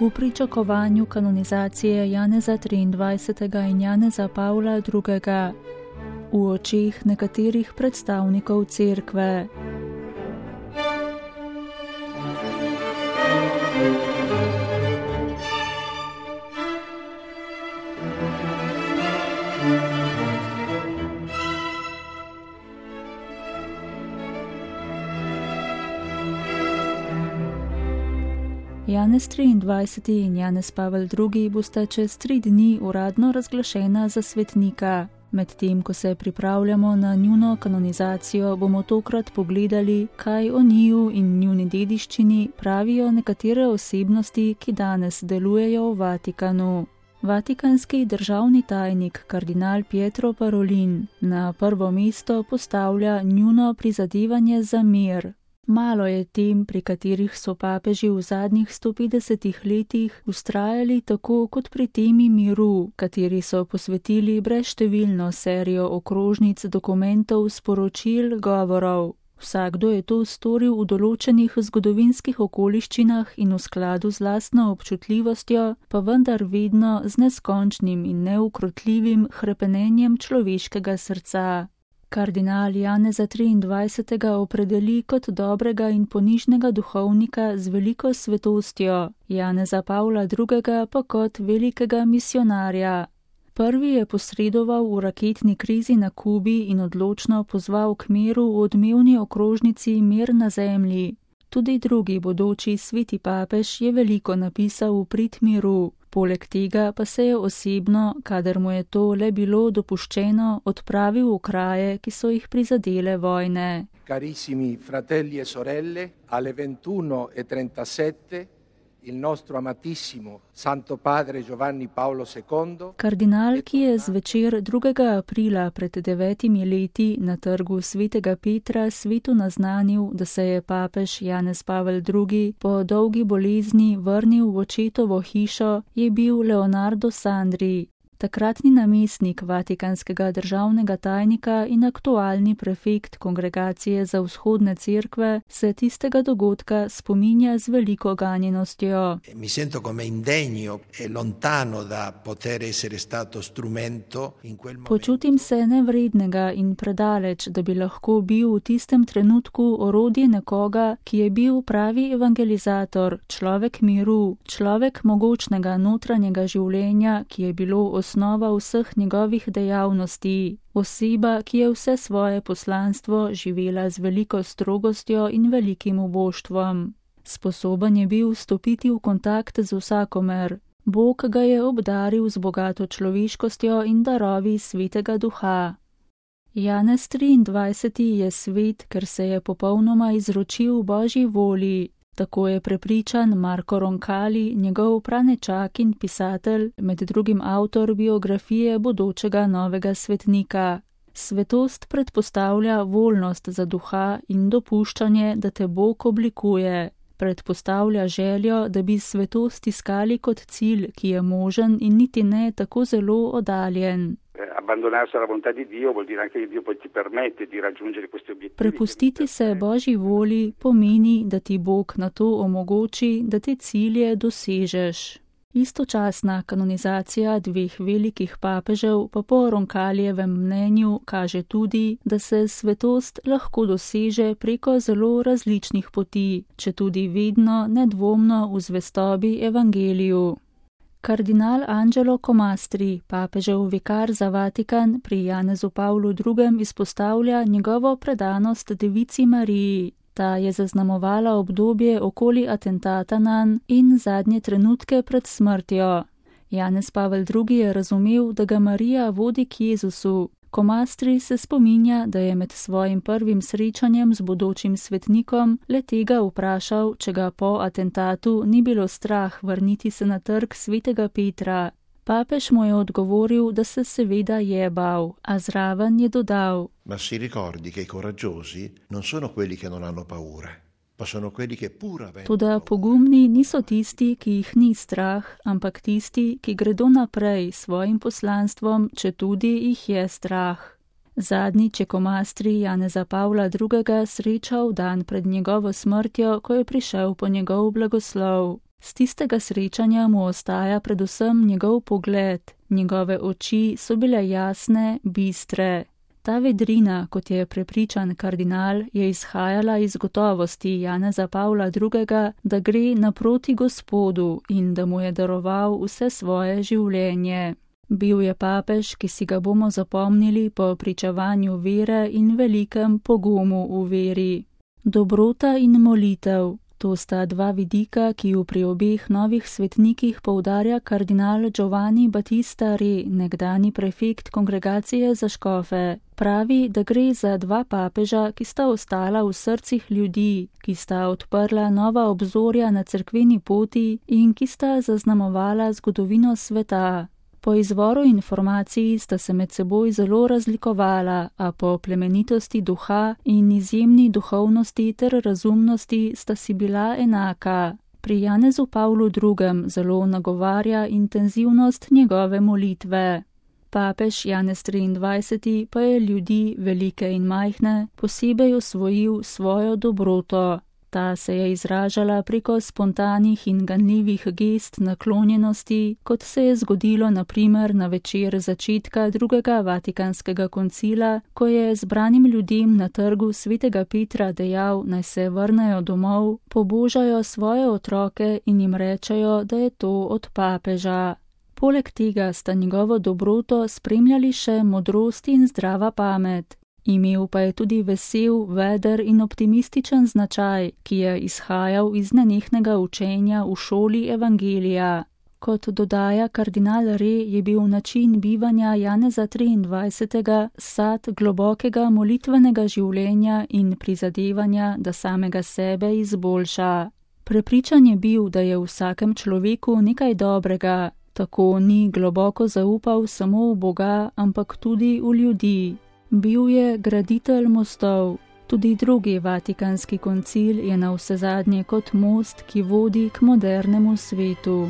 V pričakovanju kanonizacije Janeza XXIII. In Janeza Pavla II. V očeh nekaterih predstavnikov cerkve. Janez XXIII. In Janez Pavel II. Bosta čez 3 dni uradno razglašena za svetnika. Medtem, ko se pripravljamo na njuno kanonizacijo, bomo tokrat pogledali, kaj o njiju in njuni dediščini pravijo nekatere osebnosti, ki danes delujejo v Vatikanu. Vatikanski državni tajnik kardinal Pietro Parolin na prvo mesto postavlja njuno prizadevanje za mir. Malo je tem, pri katerih so papeži v zadnjih 150 letih vztrajali tako kot pri temi miru, kateri so posvetili brezštevilno serijo okrožnic, dokumentov, sporočil, govorov. Vsakdo je to storil v določenih zgodovinskih okoliščinah in v skladu z lastno občutljivostjo, pa vendar vedno z neskončnim in neukrotljivim hrepenenjem človeškega srca. Kardinal Janeza XXIII. Opredeli kot dobrega in ponižnega duhovnika z veliko svetostjo, Janeza Pavla II. Pa kot velikega misionarja. Prvi je posredoval v raketni krizi na Kubi in odločno pozval k miru v odmevni okrožnici Mir na zemlji. Tudi drugi bodoči sveti papež je veliko napisal v prid miru. Poleg tega pa se je osebno, kadar mu je to le bilo dopuščeno, odpravil v kraje, ki so jih prizadele vojne. Carissimi fratelli e sorelle, alle 21:37 il nostro amatissimo Santo Padre Giovanni Paolo II. Kardinal, ki je zvečer 2. aprila pred 9 leti na trgu svetega Petra svetu naznanil, da se je papež Janez Pavel II. Po dolgi bolezni vrnil v očetovo hišo, je bil Leonardo Sandri, takratni namestnik vatikanskega državnega tajnika in aktualni prefekt Kongregacije za vzhodne cerkve, se tistega dogodka spominja z veliko ganjenostjo. Mi sento come indegno e lontano da poter essere stato strumento in quel momento. Počutim se nevrednega in predaleč, da bi lahko bil v tistem trenutku orodje nekoga, ki je bil pravi evangelizator, človek miru, človek mogočnega notranjega življenja, ki je bilo osnova vseh njegovih dejavnosti, oseba, ki je vse svoje poslanstvo živela z veliko strogostjo in velikim uboštvom. Sposoben je bil stopiti v kontakt z vsakomer. Bog ga je obdaril z bogato človeškostjo in darovi svetega duha. Janez XXIII. Je svet, ker se je popolnoma izročil Božji volji. Tako je prepričan Marco Roncalli, njegov pranečak in pisatelj, med drugim avtor biografije bodočega novega svetnika. Svetost predpostavlja voljnost za duha in dopuščanje, da te Bog oblikuje. Predpostavlja željo, da bi svetost iskali kot cilj, ki je možen in niti ne tako zelo oddaljen. Prepustiti se Božji volji pomeni, da ti Bog na to omogoči, da te cilje dosežeš. Istočasna kanonizacija 2 velikih papežev pa po Roncalijevem mnenju kaže tudi, da se svetost lahko doseže preko zelo različnih poti, četudi vedno nedvomno v zvestobi evangeliju. Kardinal Angelo Comastri, papežev vikar za Vatikan, pri Janezu Pavlu II. Izpostavlja njegovo predanost Devici Mariji. Ta je zaznamovala obdobje okoli atentata nanj in zadnje trenutke pred smrtjo. Janez Pavel II. Je razumel, da ga Marija vodi k Jezusu. Comastri se spominja, da je med svojim prvim srečanjem z bodočim svetnikom le tega vprašal, če ga po atentatu ni bilo strah vrniti se na trg svetega Petra. Papež mu je odgovoril, da se seveda je bal, a zraven je dodal: Ma si ricordi che i coraggiosi non sono quelli che non hanno paura. Toda pogumni niso tisti, ki jih ni strah, ampak tisti, ki gredo naprej s svojim poslanstvom, četudi jih je strah. Zadnjič je komastri Janeza Pavla II. Srečal dan pred njegovo smrtjo, ko je prišel po njegov blagoslov. Z tistega srečanja mu ostaja predvsem njegov pogled. Njegove oči so bile jasne, bistre. Ta vedrina, kot je prepričan kardinal, je izhajala iz gotovosti Janeza Pavla II., da gre naproti Gospodu in da mu je daroval vse svoje življenje. Bil je papež, ki si ga bomo zapomnili po pričevanju vere in velikem pogumu v veri. Dobrota in molitev. To sta dva vidika, ki ju pri obeh novih svetnikih poudarja kardinal Giovanni Battista Re, nekdani prefekt kongregacije za škofe. Pravi, da gre za dva papeža, ki sta ostala v srcih ljudi, ki sta odprla nova obzorja na cerkveni poti in ki sta zaznamovala zgodovino sveta. Po izvoru informacij sta se med seboj zelo razlikovala, a po plemenitosti duha in izjemni duhovnosti ter razumnosti sta si bila enaka. Pri Janezu Pavlu II. Zelo nagovarja intenzivnost njegove molitve. Papež Janez XXIII. Pa je ljudi, velike in majhne, posebej osvojil svojo dobroto. Ta se je izražala preko spontanih in ganljivih gest naklonjenosti, kot se je zgodilo na primer na večer začetka drugega Vatikanskega koncila, ko je zbranim ljudem na trgu svetega Petra dejal, naj se vrnejo domov, pobožajo svoje otroke in jim rečejo, da je to od papeža. Poleg tega sta njegovo dobroto spremljali še modrost in zdrava pamet. Imel pa je tudi vesel, veder in optimističen značaj, ki je izhajal iz nenehnega učenja v šoli evangelija. Kot dodaja kardinal Re, je bil način bivanja Janeza XXIII. Sad globokega molitvenega življenja in prizadevanja, da samega sebe izboljša. Prepričan je bil, da je v vsakem človeku nekaj dobrega, tako ni globoko zaupal samo v Boga, ampak tudi v ljudi. Bil je graditelj mostov. Tudi drugi Vatikanski koncil je navsezadnje kot most, ki vodi k modernemu svetu.